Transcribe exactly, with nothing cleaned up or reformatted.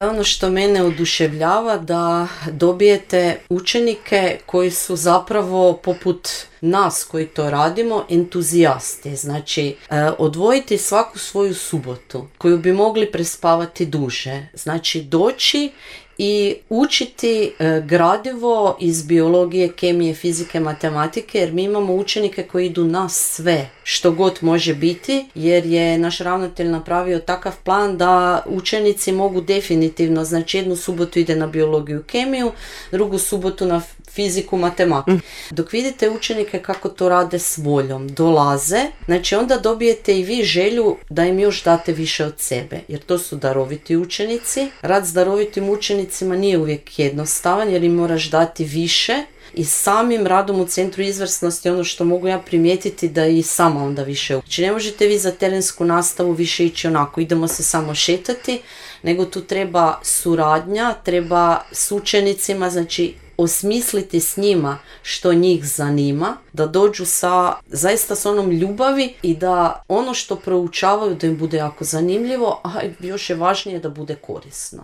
Ono što mene oduševljava da dobijete učenike koji su zapravo poput nas koji to radimo entuzijasti. Znači, odvojiti svaku svoju subotu koju bi mogli prespavati duže. Znači, doći i učiti e, gradivo iz biologije, kemije, fizike, matematike, jer mi imamo učenike koji idu na sve, što god može biti, jer je naš ravnatelj napravio takav plan da učenici mogu definitivno, znači jednu subotu ide na biologiju, kemiju, drugu subotu na fiziku, matematiku. Mm. Dok vidite učenike kako to rade s voljom, dolaze, znači onda dobijete i vi želju da im još date više od sebe, jer to su daroviti učenici. Rad s darovitim učenicima nije uvijek jednostavan, jer im moraš dati više. I samim radom u Centru izvrsnosti ono što mogu ja primijetiti da i sama onda više uči. Znači ne možete vi za terensku nastavu više ići onako, idemo se samo šetati, nego tu treba suradnja, treba s učenicima, znači osmisliti s njima što njih zanima, da dođu sa, zaista s onom ljubavi i da ono što proučavaju da im bude jako zanimljivo, a još je važnije da bude korisno.